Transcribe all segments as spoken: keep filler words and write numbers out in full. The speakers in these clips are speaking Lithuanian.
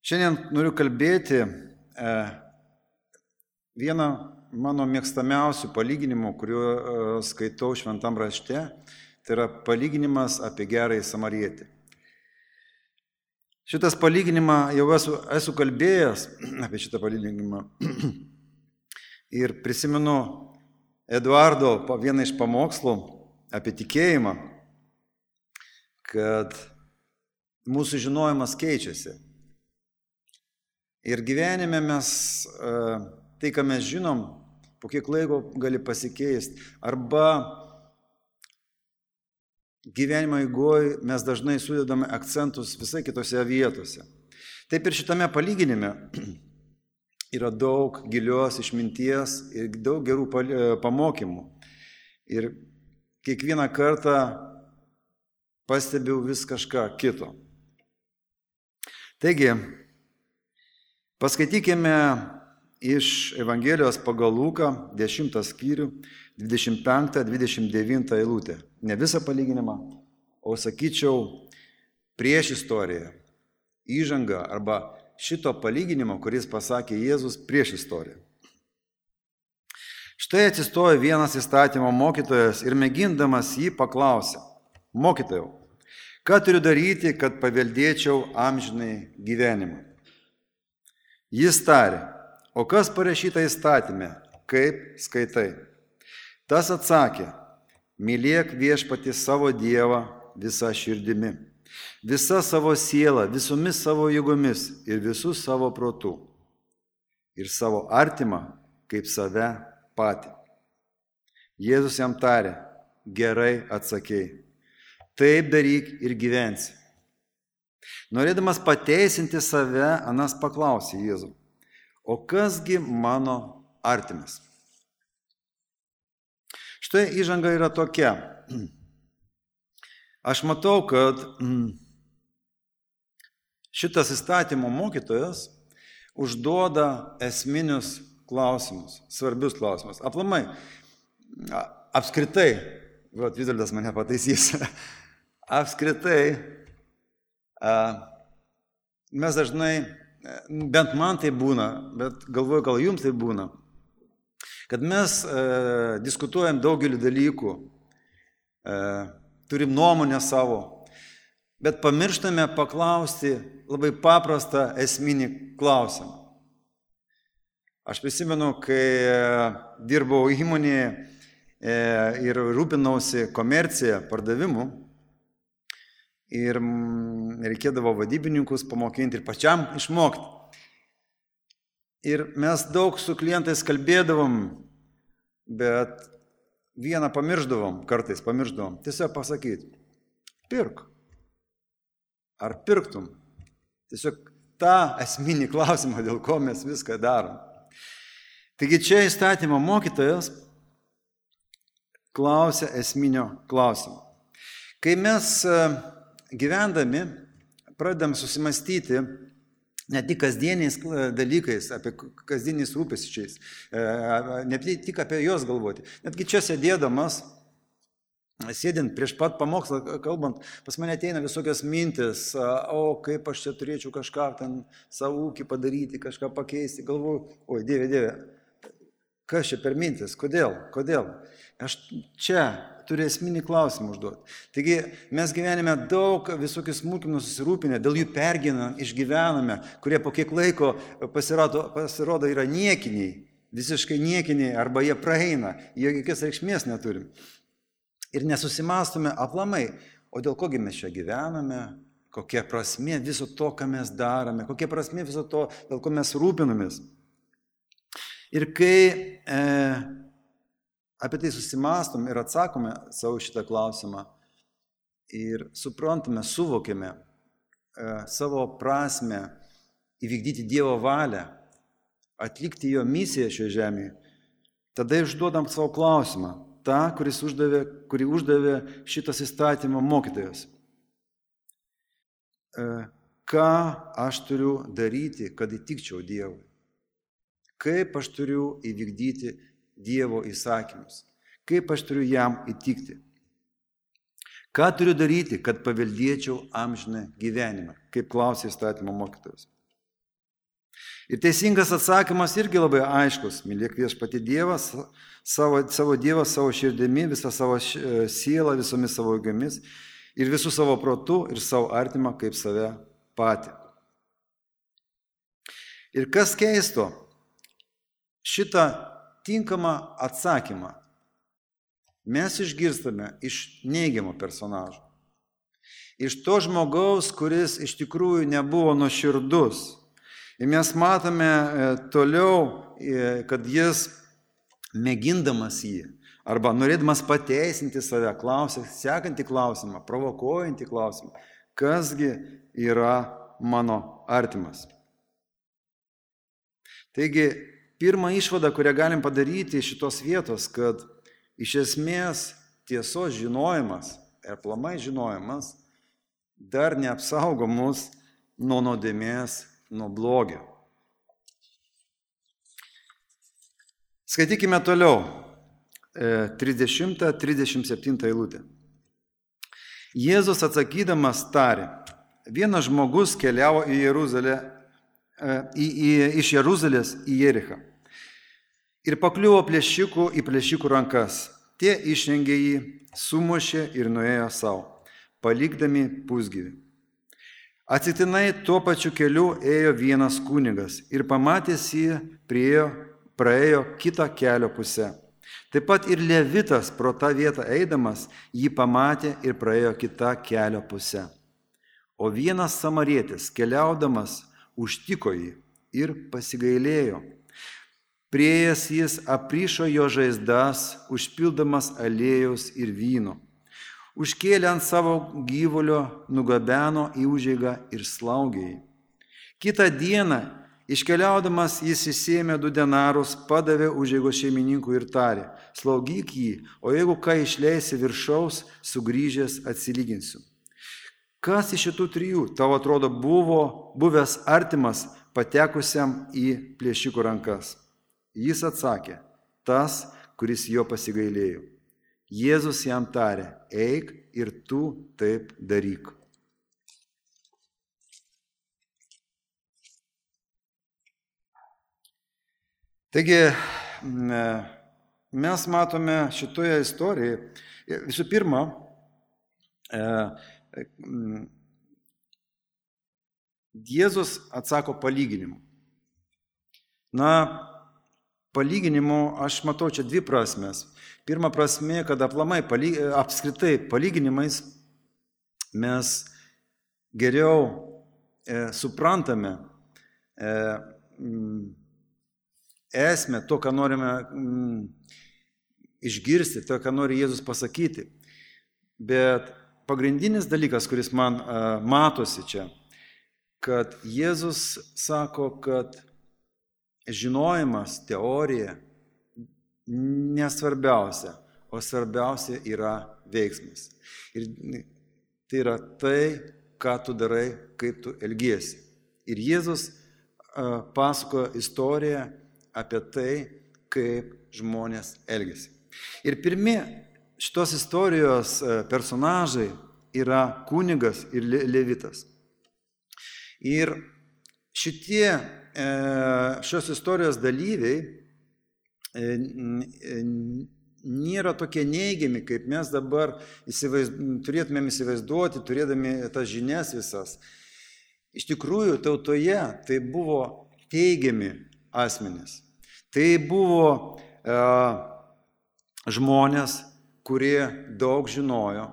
Šiandien noriu kalbėti e, vieną mano mėgstamiausių palyginimų, kuriuo e, skaitau šventam rašte. Tai yra palyginimas apie gerąjį samarietį. Šitas palyginimą jau esu, esu kalbėjęs apie šitą palyginimą. Ir prisimenu Eduardo vieną iš pamokslų apie tikėjimą, kad mūsų žinojimas keičiasi. Ir gyvenime mes, tai ką mes žinom, po kiek laiko gali pasikeisti. Arba gyvenimo eigoje mes dažnai sudedame akcentus visai kitose vietose. Taip ir šitame palyginime yra daug gilios išminties ir daug gerų pamokymų. Ir kiekvieną kartą pastebiu vis kažką kito. Taigi, paskaitykime iš Evangelijos pagal Luką, dešimtą skyrių, dvidešimt penktą dvidešimt devintą eilutę. Ne visą palyginimą, o sakyčiau prieš istoriją, įžangą arba šito palyginimo, kuris pasakė Jėzus prieš istoriją. Štai atsistojo vienas įstatymo mokytojas ir mėgindamas jį paklausė: Mokytojau, ką turiu daryti, kad paveldėčiau amžinai gyvenimą? Jis tarė: O kas parašyta įstatyme, kaip skaitai? Tas atsakė: Mylėk viešpatį savo Dievą visą širdimi, visą savo sielą, visomis savo jėgomis ir visų savo protų, ir savo artimą kaip save patį. Jėzus jam tarė: Gerai atsakei, taip daryk ir gyvensi. Norėdamas pateisinti save, anas paklausė Jėzų: O kasgi mano artimas? Štai įžanga yra tokia. Aš matau, kad šitas įstatymo mokytojas užduoda esminius klausimus, svarbius klausimus. Aplamai, apskritai, vat Vizaldas mane pataisys, apskritai, mes dažnai, bent man tai būna, bet galvoju, gal jums tai būna, kad mes e, diskutuojam daugelį dalykų, e, turim nuomonę savo, bet pamirštame paklausti labai paprastą esminį klausimą. Aš prisimenu, kai dirbau įmonėje e, ir rūpinausi komerciją, pardavimu, ir reikėdavo vadybininkus pamokinti ir pačiam išmokti. Ir mes daug su klientais kalbėdavom, bet vieną pamirždavom, kartais pamirždavom, tiesiog pasakyti: pirk. Ar pirktum? Tiesiog tą esminį klausimą, dėl ko mes viską darom. Taigi čia įstatymo mokytojas klausia esminio klausimo. Kai mes gyvendami pradedam susimastyti ne tik kasdieniais dalykais, apie kasdieniais rūpesčiais, ne tik apie juos galvoti. Netgi čia sėdėdamas, sėdint prieš pat pamokslą, kalbant, pas mane ateina visokios mintis: o kaip aš čia turėčiau kažką ten savo ūkį padaryti, kažką pakeisti. Galvoju: oi, Dieve, Dieve, kas čia per mintis? Kodėl? Kodėl? Aš čia turiu esminį klausimą užduoti. Taigi mes gyvenime daug visokių smulkmenų susirūpinę, dėl jų pergyvename, išgyvename, kurie po kiek laiko pasirodo, pasirodo yra niekiniai, visiškai niekiniai, arba jie praeina, jie jokios reikšmės neturim. Ir nesusimastome aplamai, o dėl kogi mes čia gyvename, kokia prasmė viso to, ką mes darome, kokia prasmė viso to, dėl ko mes rūpinamės. Ir kai e, apie tai susimastom ir atsakome savo šitą klausimą ir suprantame, suvokėme e, savo prasmę įvykdyti Dievo valią, atlikti jo misiją šioje žemėje, tada išduodam savo klausimą, tą, kuris uždavė, kurį uždavė šitas įstatymo mokytojas. E, ką aš turiu daryti, kad įtikčiau Dievui? Kaip aš turiu įvykdyti Dievo įsakymus? Kaip aš turiu jam įtikti? Ką turiu daryti, kad paveldėčiau amžiną gyvenimą? Kaip klausė įstatymo mokytojas. Ir teisingas atsakymas irgi labai aiškus. Mylėk viešpatį Dievą, savo, savo Dievą, savo širdimi, visą savo sielą, visomis savo jėgomis ir visų savo protų ir savo artimą kaip save patį. Ir kas keisto, šitą tinkamą atsakymą mes išgirstame iš neigiamo personažo. Iš to žmogaus, kuris iš tikrųjų nebuvo nuoširdus. Ir mes matome toliau, kad jis mėgindamas jį, arba norėdamas pateisinti save, klausė, sekantį klausimą, provokuojantį klausimą, kasgi yra mano artimas. Taigi, pirma išvada, kurią galim padaryti iš šitos vietos, kad iš esmės tiesos žinojimas ir aplamai žinojimas dar neapsaugo mus nuo nuodėmės, nuo blogio. Skaitykime toliau, trisdešimtą trisdešimt septintą eilutę. Jėzus atsakydamas tarė, vienas žmogus keliavo į Jeruzalę, į, į, iš Jeruzalės į Jerichą ir pakliuvo plėšikų į plėšikų rankas. Tie išrengė jį, sumušė ir nuėjo savo, palikdami pusgyvį. Atsitiktinai tuo pačiu keliu ėjo vienas kunigas ir pamatęs jį priejo, praėjo kitą kelio pusę. Taip pat ir Levitas pro tą vietą eidamas jį pamatė ir praėjo kitą kelio pusę. O vienas samarietis keliaudamas užtiko jį ir pasigailėjo. Priėjęs jis aprišo jo žaizdas, užpildamas aliejaus ir vyno. Užkėlė ant savo gyvulio, nugabeno į užeigą ir slaugė jį. Kitą dieną, iškeliaudamas, jis įsėmė du denarus, padavė užeigos šeimininkui ir tarė, slaugyk jį, o jeigu ką išleisi viršaus, sugrįžęs atsilyginsiu. Kas iš šitų trijų, tavo atrodo, buvo buvęs artimas patekusiam į plėšikų rankas? Jis atsakė, tas, kuris jo pasigailėjo. Jėzus jam tarė, eik ir tu taip daryk. Taigi, mes matome šitoje istorijoje, visų pirma, Jėzus atsako palyginimu. Na, palyginimu aš matau čia dvi prasmes. Pirma prasme, kad aplamai, apskritai palyginimais mes geriau e, suprantame e, esmę to, ką norime m, išgirsti, to, ką nori Jėzus pasakyti. Bet pagrindinis dalykas, kuris man e, matosi čia, kad Jėzus sako, kad žinojimas, teorija nesvarbiausia, o svarbiausia yra veiksmas. Ir tai yra tai, ką tu darai, kaip tu elgiesi. Ir Jėzus uh, pasakojo istoriją apie tai, kaip žmonės elgiasi. Ir pirmi šitos istorijos uh, personažai yra kunigas ir le levitas. Ir šitie uh, šios istorijos dalyviai nėra tokie neigiami, kaip mes dabar įsivaizd... turėtumėm įsivaizduoti, turėdami tas žinias visas. Iš tikrųjų, tautoje tai buvo teigiami asmenys. Tai buvo e, žmonės, kurie daug žinojo,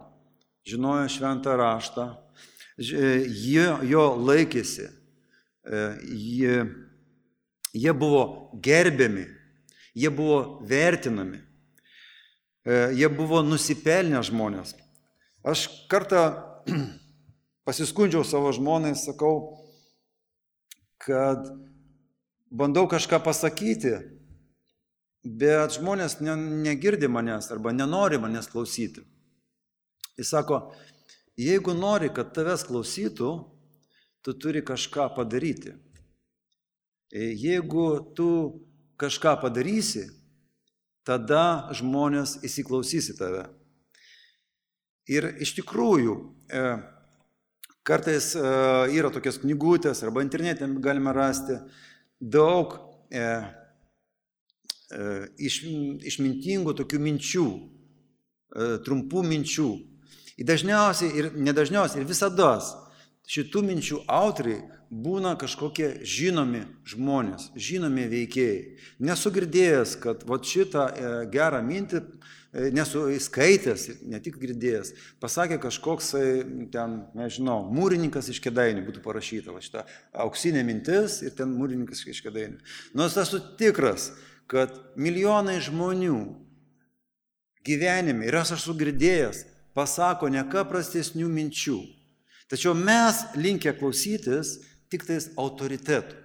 žinojo šventą raštą, jie jo laikėsi, e, jie, jie buvo gerbiami. Jie buvo vertinami, jie buvo nusipelnę žmonės. Aš kartą pasiskundžiau savo žmonai, sakau, kad bandau kažką pasakyti, bet žmonės ne, negirdi manęs arba nenori manęs klausyti. Jis sako, jeigu nori, kad tavęs klausytų, tu turi kažką padaryti. Jeigu tu kažką padarysi, tada žmonės įsiklausys į tave. Ir iš tikrųjų, kartais yra tokios knygutės, arba internete galime rasti, daug e, e, iš, išmintingų tokių minčių, e, trumpų minčių. Ir dažniausiai, ir nedažniausiai, ir visada šitų minčių autoriai būna kažkokie žinomi žmonės, žinomi veikėjai. Nesu girdėjęs, kad vat šitą e, gerą mintį, e, nesu įskaitęs, ne tik girdėjęs, pasakė kažkoks, ten, nežinau, mūrininkas iš Kėdainių, būtų parašyta, va šitą auksinė mintis ir ten mūrininkas iš Kėdainių. Nors esu tikras, kad milijonai žmonių gyvenime, ir aš esu girdėjęs, pasako ne ką prastesnių minčių. Tačiau mes linkę klausytis tik tais autoritetų.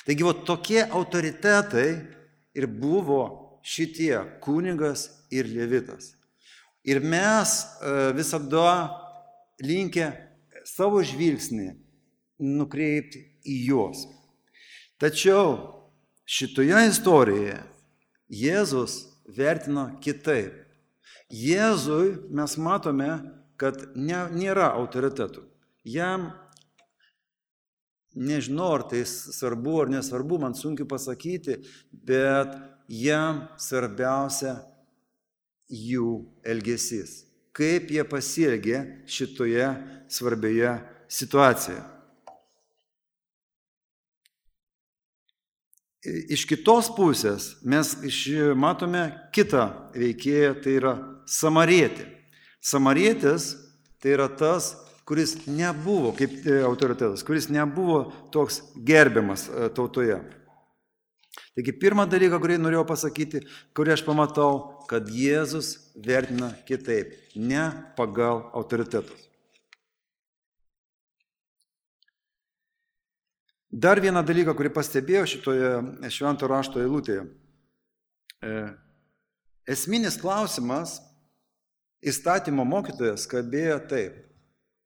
Taigi, va, tokie autoritetai ir buvo šitie kunigas ir levitas. Ir mes visada linkę savo žvilgsnį nukreipti į juos. Tačiau šitoje istorijoje Jėzus vertino kitaip. Jėzui mes matome, kad ne, nėra autoritetų. Jam, nežinau, ar tai svarbu ar nesvarbu, man sunku pasakyti, bet jam svarbiausia jų elgesys. Kaip jie pasielgė šitoje svarbioje situacijoje. Iš kitos pusės mes matome kitą veikėją, tai yra samarietį. Samarietis tai yra tas, kuris nebuvo, kaip autoritetas, kuris nebuvo toks gerbiamas tautoje. Taigi pirmą dalyką, kurį norėjau pasakyti, kurį aš pamatau, kad Jėzus vertina kitaip, ne pagal autoritetus. Dar vieną dalyką, kurį pastebėjau šitoje švento rašto eilutėje. Esminis klausimas įstatymo mokytojas kalbėjo taip: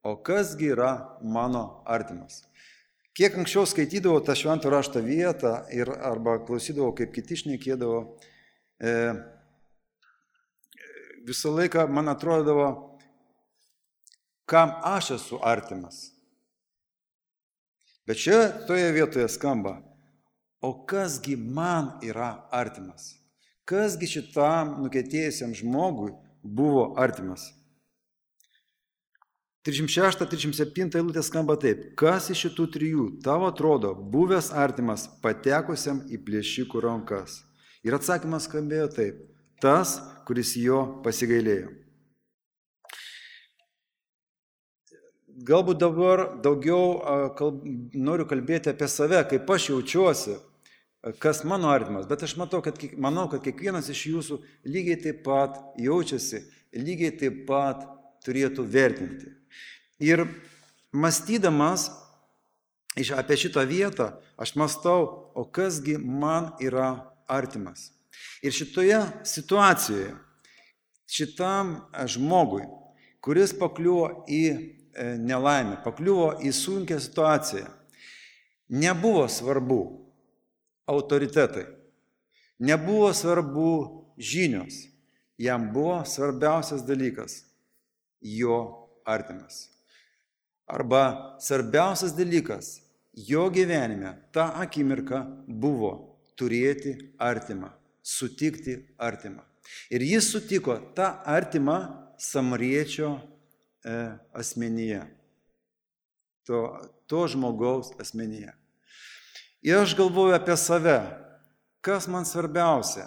o kasgi yra mano artimas? Kiek anksčiau skaitydavau tą švento rašto vietą ir arba klausydavau, kaip kiti šnekėdavo, e, visą laiką man atrodavo, kam aš esu artimas. Bet čia toje vietoje skamba: o kasgi man yra artimas? Kasgi šitam nukentėjusiam žmogui buvo artimas? trisdešimt šešta trisdešimt septinta eilutė skamba taip: kas iš šitų trijų tavo atrodo buvęs artimas patekusiam į plėšikų rankas? Ir atsakymas skambėjo taip: tas, kuris jo pasigailėjo. Galbūt dabar daugiau kalb, noriu kalbėti apie save, kaip aš jaučiuosi, kas mano artimas, bet aš matau, kad, manau, kad kiekvienas iš jūsų lygiai taip pat jaučiasi, lygiai taip pat turėtų vertinti. Ir mąstydamas apie šitą vietą, aš mąstau, o kasgi man yra artimas. Ir šitoje situacijoje, šitam žmogui, kuris pakliuvo į nelaimę, pakliuvo į sunkią situaciją, nebuvo svarbu autoritetai, nebuvo svarbu žinios, jam buvo svarbiausias dalykas – jo artimas. Arba svarbiausias dalykas jo gyvenime tą akimirką buvo turėti artimą, sutikti artimą. Ir jis sutiko tą artimą samariečio asmenyje, to, to žmogaus asmenyje. Ir aš galvoju apie save, kas man svarbiausia,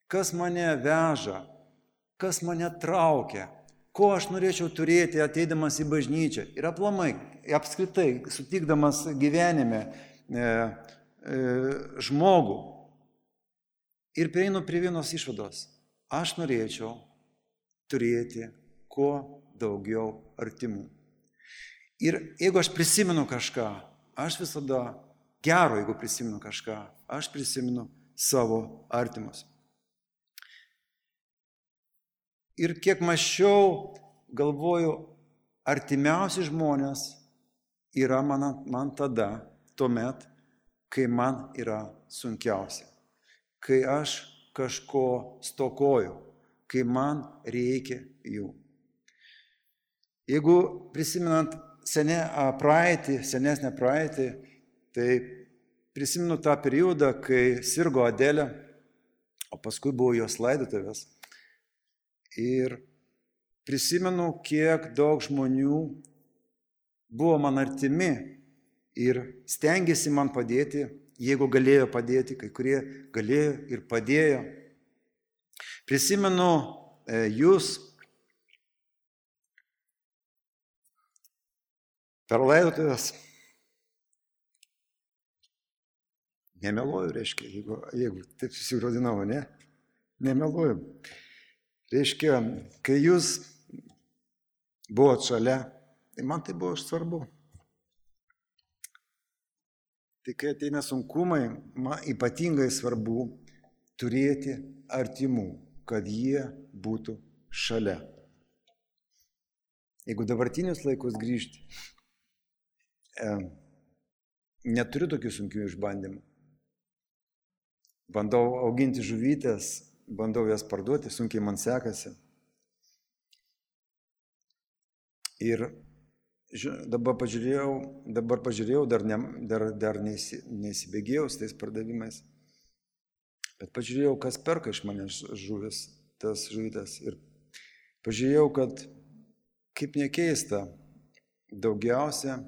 kas mane veža, kas mane traukia, ko aš norėčiau turėti ateidamas į bažnyčią ir aplamai, apskritai, sutikdamas gyvenime e, e, žmogų. Ir prieinu prie vienos išvados: aš norėčiau turėti kuo daugiau artimų. Ir jeigu aš prisimenu kažką, aš visada gero, jeigu prisimenu kažką, aš prisimenu savo artimus. Ir kiek mąsčiau, galvoju, artimiausi žmonės yra man, man tada, tuomet, kai man yra sunkiausia, kai aš kažko stokoju, kai man reikia jų. Jeigu prisimenant senę praeitį, senesnę praeitį, tai prisimenu tą periodą, kai sirgo Adelė, o paskui buvo jos laidotuvės. Ir prisimenu, kiek daug žmonių buvo man artimi ir stengiasi man padėti, jeigu galėjo padėti, kai kurie galėjo ir padėjo. Prisimenu e, jūs per laidotuvės. Nemeluoju, reiškia, jeigu, jeigu taip susirodinau, ne? Nemeluoju. Reiškia, kai jūs buvot šalia, tai man tai buvo svarbu. Tai kai ateina sunkumai, man ypatingai svarbu turėti artimų, kad jie būtų šalia. Jeigu dabartinius laikus grįžti, e, neturiu tokių sunkių išbandymų. Bandau auginti žuvytės, bandau jas parduoti, sunkiai man sekasi. Ir dabar pažiūrėjau, dabar pažiūrėjau, dar, ne, dar, dar neįsi, neįsibėgėjau su tais pardavimais, bet pažiūrėjau, kas perka iš manęs žuvis, tas žuvytės. Ir pažiūrėjau, kad kaip nekeista, daugiausia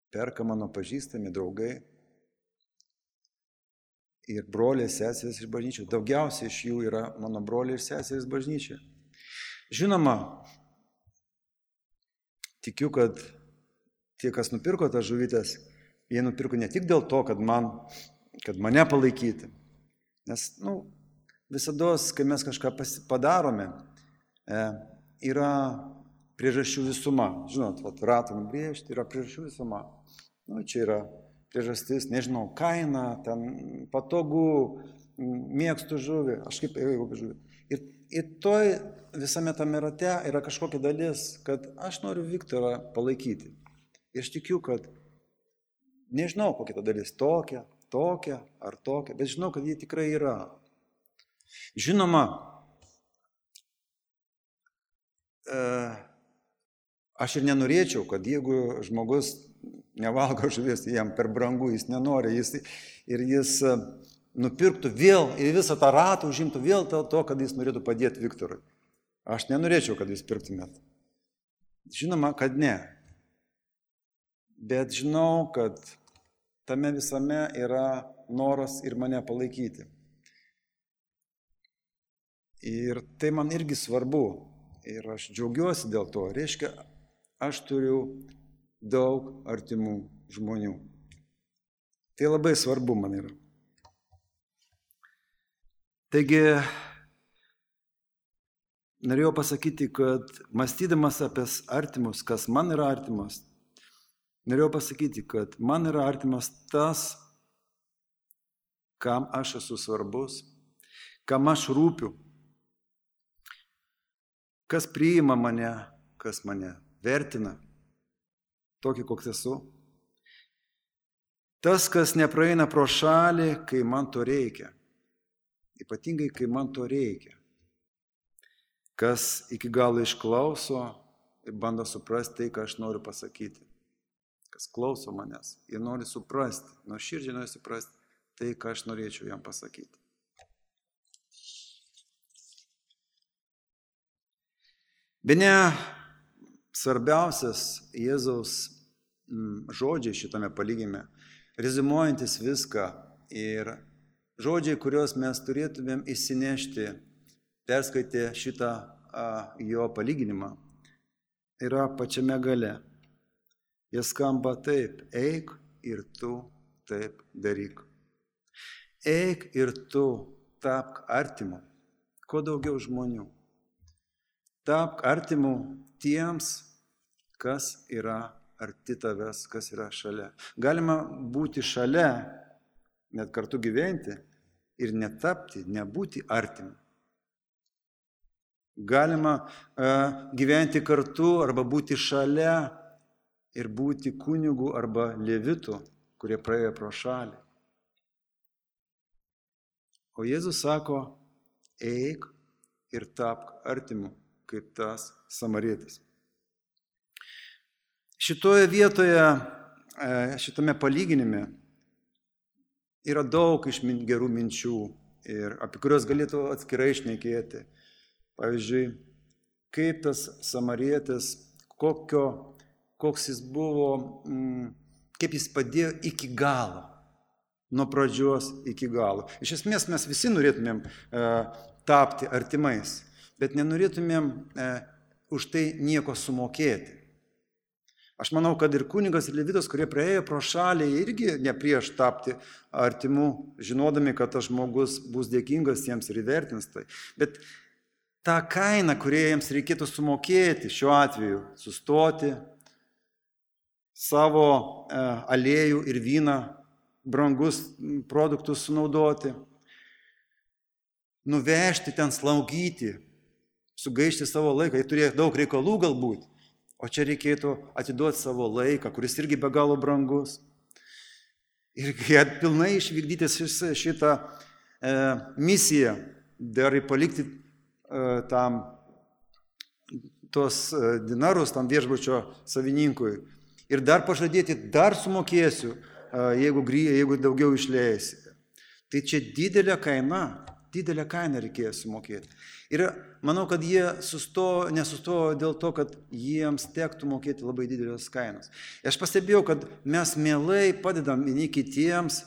perka mano pažįstami draugai ir broliai seserys iš bažnyčių. Daugiausiai iš jų yra mano broliai ir seserys bažnyčia. Žinoma, tikiu, kad tie, kas nupirko tas žuvytės, jie nupirko ne tik dėl to, kad, man, kad mane palaikyti. Nes, nu, visados, kai mes kažką padarome, e, yra priežasčių visuma. Žinot, vat, ratų nubrėžti yra priežasčių visuma. Nu, čia yra priežastis, nežinau, kaina, ten patogu, mėgstu žuvį, aš kaip ėjau žuvį. Ir, ir toj visame tame rate yra kažkokia dalis, kad aš noriu Viktorą palaikyti. Ir aš tikiu, kad nežinau, kokia ta dalis, tokia, tokia ar tokia, bet žinau, kad jie tikrai yra. Žinoma, e, aš ir nenorėčiau, kad jeigu žmogus nevalgo žuvies, jam per brangu, jis nenori, jis, ir jis nupirktų vėl, ir visą tą ratą užimtų vėl dėl to, kad jis norėtų padėti Viktorui. Aš nenorėčiau, kad jūs pirktumėt. Žinoma, kad ne. Bet žinau, kad tame visame yra noras ir mane palaikyti. Ir tai man irgi svarbu. Ir aš džiaugiuosi dėl to. Reiškia, aš turiu daug artimų žmonių. Tai labai svarbu man yra. Taigi, norėjau pasakyti, kad mąstydamas apie artimus, kas man yra artimas, norėjau pasakyti, kad man yra artimas tas, kam aš esu svarbus, kam aš rūpiu, kas priima mane, kas mane vertina, tokį, koks esu. Tas, kas nepraeina pro šalį, kai man to reikia. Ypatingai, kai man to reikia. Kas iki galo išklauso ir bando suprasti tai, ką aš noriu pasakyti. Kas klauso manęs ir nori suprasti, nuoširdžiai nori suprasti tai, ką aš norėčiau jam pasakyti. Bene svarbiausias Jėzaus žodžiai šitame palyginime, reziumuojantis viską ir žodžiai, kuriuos mes turėtumėm įsinešti, perskaitę šitą a, jo palyginimą, yra pačiame gale. Jie skamba taip: eik ir tu taip daryk. Eik ir tu tapk artimu, kuo daugiau žmonių. Tapk artimu tiems, kas yra arti tavęs, kas yra šalia. Galima būti šalia, net kartu gyventi ir netapti, nebūti artimu. Galima uh, gyventi kartu arba būti šalia ir būti kunigu arba levitu, kurie praėjo pro šalį. O Jėzus sako: eik ir tapk artimu, kaip tas samarietis. Šitoje vietoje, šitame palyginime, yra daug išmin, gerų minčių, ir apie kurios galėtų atskirai šnekėti. Pavyzdžiui, kaip tas samarietis, kokio, koks jis buvo, mm, kaip jis padėjo iki galo, nuo pradžios iki galo. Iš esmės mes visi norėtumėm e, tapti artimais, bet nenorėtumėm e, už tai nieko sumokėti. Aš manau, kad ir kunigas, ir levitas, kurie praėjo pro šalį, irgi ne prieš tapti artimu, žinodami, kad tas žmogus bus dėkingas jiems ir įvertins tai. Bet tą kainą, kurią jiems reikėtų sumokėti, šiuo atveju sustoti, savo e, aliejų ir vyną, brangus produktus sunaudoti, nuvežti ten, slaugyti, sugaišti savo laiką, jie turėjo daug reikalų galbūt, o čia reikėtų atiduoti savo laiką, kuris irgi be galo brangus. Ir pilnai išvykdyti šitą e, misiją, dar palikti e, tam tos e, dinarus tam viešbučio savininkui. Ir dar pažadėti, dar sumokėsiu, e, jeigu, jeigu daugiau išleisite. Tai čia didelė kaina, didelę kainą reikėjo sumokėti. Ir manau, kad jie sustojo, nesustojo dėl to, kad jiems tektų mokėti labai didelės kainos. Aš pastebėjau, kad mes mielai padedam vieni kitiems,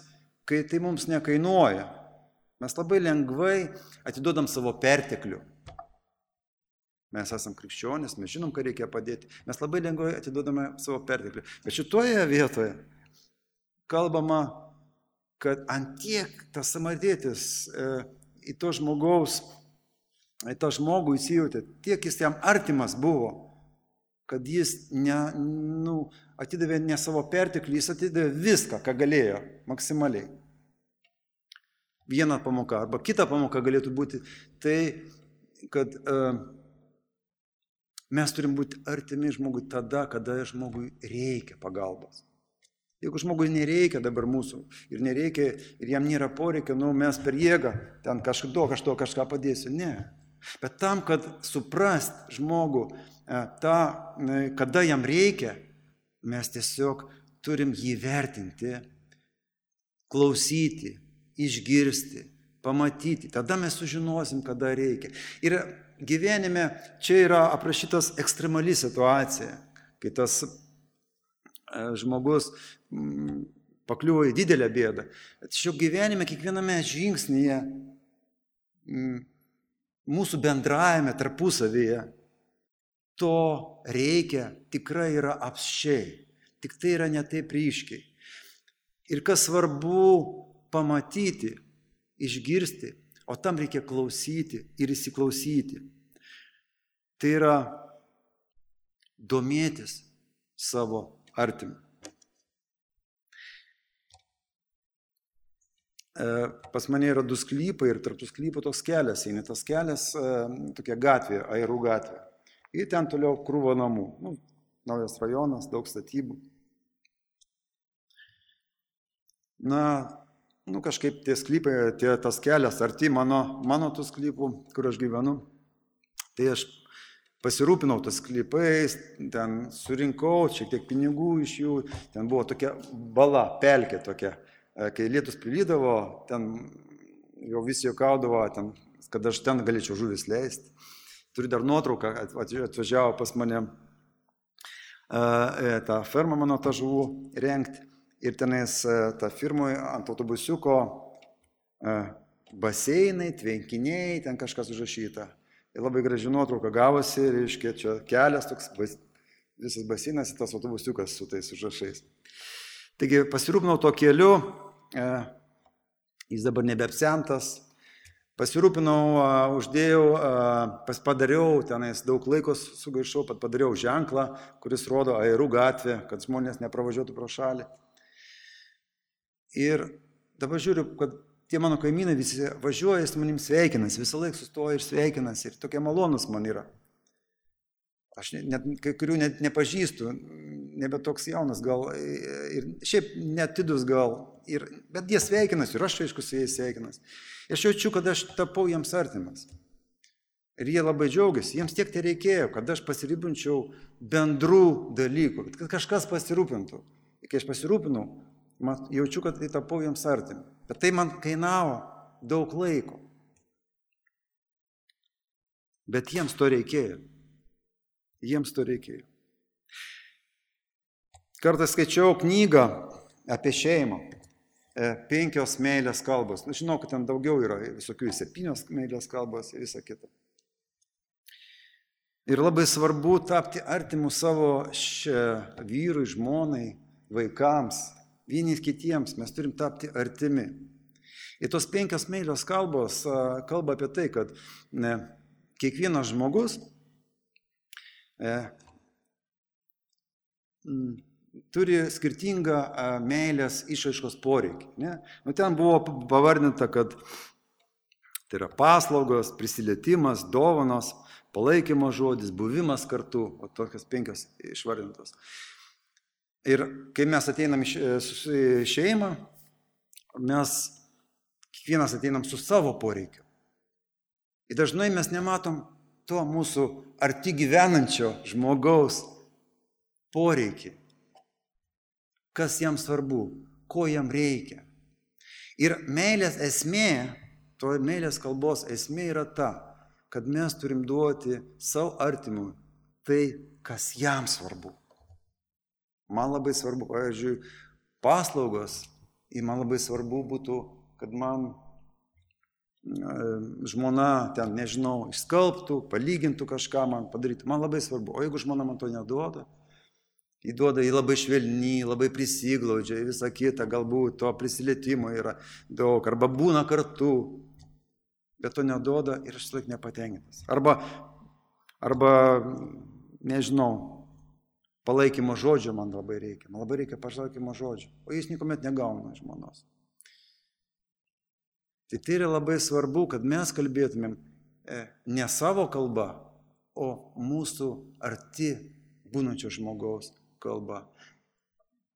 kai tai mums nekainuoja. Mes labai lengvai atiduodam savo perteklių. Mes esam krikščionys, mes žinom, ką reikia padėti. Mes labai lengvai atiduodame savo perteklių. Bet šitoje vietoje kalbama, kad antiek tas samarietis e, į to žmogaus, į tą žmogų įsijautė, tiek jis jam artimas buvo, kad jis ne, nu, atidavė ne savo perteklį, jis atidavė viską, ką galėjo, maksimaliai. Viena pamoka, arba kita pamoka galėtų būti tai, kad uh, mes turim būti artimi žmogui tada, kada žmogui reikia pagalbos. Jeigu žmogui nereikia dabar mūsų ir nereikia, ir jam nėra poreikio, nu mes per jėgą ten kažkado kažto kažką padėsiu, ne. Bet tam, kad suprast žmogų, tą, kada jam reikia, mes tiesiog turim jį vertinti, klausyti, išgirsti, pamatyti. Tada mes sužinosim, kada reikia. Ir gyvenime čia yra aprašytas ekstremali situacija, kai tas žmogus pakliuvo į didelę bėdą. Tačiau gyvenime, kiekviename žingsnyje, mūsų bendrajame tarpusavyje, to reikia tikrai yra apsčiai. Tik tai yra ne taip ryškiai. Ir kas svarbu pamatyti, išgirsti, o tam reikia klausyti ir įsiklausyti. Tai yra domėtis savo artimu. Pas mane yra du sklypai ir tarp tų sklypų toks kelias, eina tas kelias, tokia gatvė, Airų gatvė. Ir ten toliau krūva namų. Nu, naujas rajonas, daug statybų. Na, nu kažkaip tie sklypai, tie, tas kelias arti mano, mano tų sklypų, kur aš gyvenu. Tai aš pasirūpinau tas sklypais, ten surinkau šiek tiek pinigų iš jų, ten buvo tokia bala, pelkė tokia. Kai lietus prilydavo, ten jau visi juokaudavo, ten, kad aš ten galėčiau žuvis leisti. Turiu dar nuotrauką, atvažiavo pas mane tą fermą mano tą žuvų rengti. Ir tenais tą firmoje ant autobusiuko baseinai, tvenkiniai, ten kažkas užrašyta. Ir labai graži nuotrauka gavosi, reiškia, čia kelias toks, visas baseinas ir tas autobusiukas su tais užrašais. Taigi pasirūpinau to keliu, jis dabar nebeapsemtas, pasirūpinau, uždėjau, padariau, tenais daug laiko sugaišau, padariau ženklą, kuris rodo Airų gatvę, kad žmonės nepravažiuotų pro šalį. Ir dabar žiūriu, kad tie mano kaimynai visi važiuoja, jis manim sveikinasi, visą laiką sustoja ir sveikinasi, ir tokie malonus man yra. Aš net kai kurių net nepažįstu, nebe toks jaunas gal, ir šiaip netidus gal, ir, bet jie sveikinasi, ir aš aišku su jais sveikinasi. Aš jaučiu, kad aš tapau jiems artimas. Ir jie labai džiaugiasi, jiems tiek tai reikėjo, kad aš pasirūpinčiau bendrų dalykų, kad kažkas pasirūpintų. Ir kai aš pasirūpinau, Man, jaučiu, kad tai tapau jiems artimi. Bet tai man kainavo daug laiko. Bet jiems to reikėjo. Jiems to reikėjo. Kartą skaičiau knygą apie šeimą. Penkios meilės kalbos. Nu, žinau, kad ten daugiau yra visokių septynios meilės kalbos ir visa kita. Ir labai svarbu tapti artimu savo vyrui, žmonai, vaikams, vieni kitiems. Mes turim tapti artimi. Ir tos penkios meilės kalbos kalba apie tai, kad ne, kiekvienas žmogus e, m, turi skirtingą meilės išraiškos poreikį. Ne? Nu, ten buvo pavardinta, kad tai yra paslaugos, prisilietimas, dovanos, palaikymo žodis, buvimas kartu, o tokios penkios išvardintos. Ir kai mes ateinam į šeimą, mes kiekvienas ateinam su savo poreikiu. Ir dažnai mes nematom to mūsų arti gyvenančio žmogaus poreikį. Kas jam svarbu, ko jam reikia. Ir meilės esmė, to meilės kalbos esmė yra ta, kad mes turim duoti savo artimui tai, kas jam svarbu. Man labai svarbu, pavyzdžiui, paslaugos, ir man labai svarbu būtų, kad man žmona ten, nežinau, išskalbtų, palygintų kažką man padaryti. Man labai svarbu. O jeigu žmona man to neduoda, įduoda į labai švelnį, labai prisiglaudžia, visą kitą, galbūt to prisilietimo yra daug, arba būna kartu, bet to neduoda ir aš laik nepatenkintas. Arba, arba, nežinau, palaikymo žodžio man labai reikia. Man labai reikia palaikymo žodžio, o jis niekuomet negauna žmonos. Tai tai yra labai svarbu, kad mes kalbėtumėm ne savo kalba, o mūsų arti būnančio žmogaus kalba.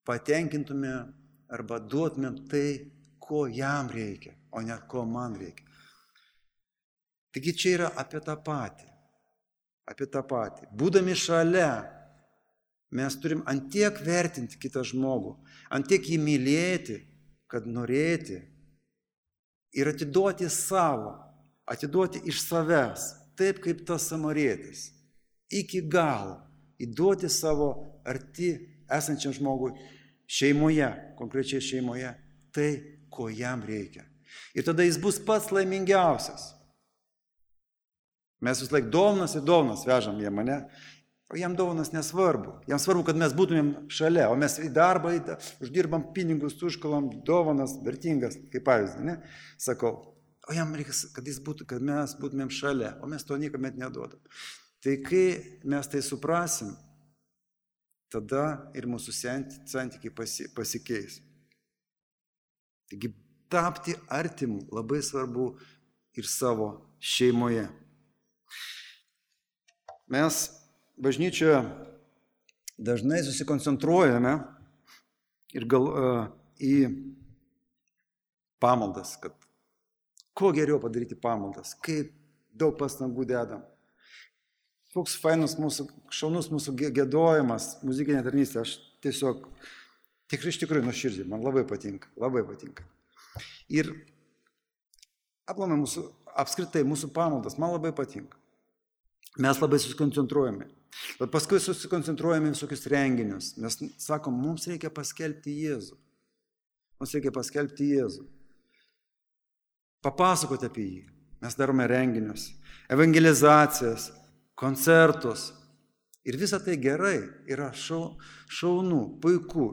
Patenkintume arba duotumėm tai, ko jam reikia, o ne ko man reikia. Taigi čia yra apie tą patį. Apie tą patį. Būdami šalia, mes turim antiek vertinti kitą žmogų, antiek jį mylėti, kad norėti ir atiduoti savo, atiduoti iš savęs, taip kaip tas samarietis, iki galo. Įduoti savo arti esančiam žmogui šeimoje, konkrečiai šeimoje, tai, ko jam reikia. Ir tada jis bus pats laimingiausias. Mes vis laik dovanas ir dovanas vežam jam, ne? O jam dovanas nesvarbu. Jam svarbu, kad mes būtumėm šalia, o mes į darbą uždirbam pinigus, užkalam dovanas, vertingas, kaip pavyzdį, ne? Sakau, o jam reikia, kad, jis būtų, kad mes būtumėm šalia, o mes to niekuomet neduodam. Tai kai mes tai suprasim, tada ir mūsų santykiai pasikeis. Taigi tapti artimu labai svarbu ir savo šeimoje. Mes bažnyčioje dažnai susikoncentruojame ir gal, uh, į pamaldas, kad kuo geriau padaryti pamaldas, kaip daug pastangų dedam. Koks fainus mūsų, šaunus mūsų gėdojimas, muzikinė tarnystė, aš tiesiog, tikrai iš tikrųjų nuoširdžiai, man labai patinka, labai patinka. Ir aplamai mūsų, apskritai mūsų pamaldas, man labai patinka. Mes labai susikoncentruojame. Bet paskui susikoncentruojame visokius renginius. Mes sakom, mums reikia paskelbti Jėzų. Mums reikia paskelbti Jėzų. Papasakoti apie jį. Mes darome renginius, evangelizacijas, koncertus. Ir visa tai gerai, yra šau, šaunu, puiku.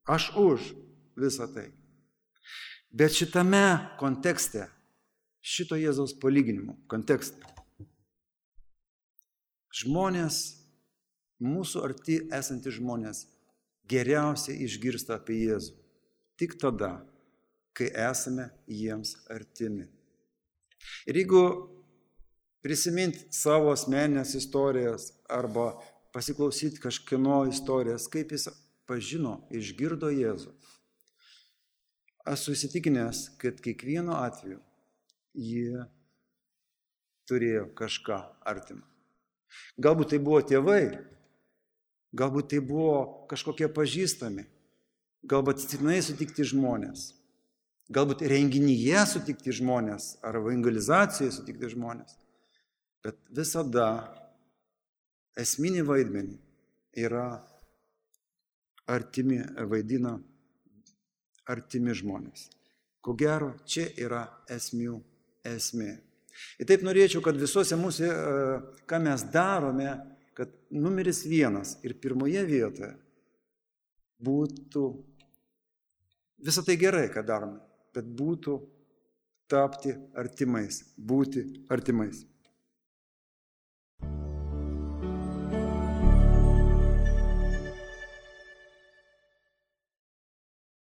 Aš už visą tai. Bet šitame kontekste, šito Jėzaus palyginimo kontekste, žmonės, mūsų arti esantys žmonės, geriausiai išgirsta apie Jėzų. Tik tada, kai esame jiems artimi. Ir jeigu prisiminti savo asmeninės istorijas arba pasiklausyti kažkieno istorijas, kaip jis pažino, išgirdo Jėzų. Esu įsitikinęs, kad kiekvienu atveju jie turėjo kažką artimą. Galbūt tai buvo tėvai, galbūt tai buvo kažkokie pažįstami, galbūt atsitiktinai sutikti žmonės, galbūt renginyje sutikti žmonės ar evangelizacijoje sutikti žmonės, bet visada esminį vaidmenį yra artimi, vaidina artimi žmonės. Ko gero, čia yra esmių esmė. Ir taip norėčiau, kad visuose mūsų, ką mes darome, kad numeris vienas ir pirmoje vietoje būtų, visą tai gerai, ką darome, bet būtų tapti artimais, būti artimais.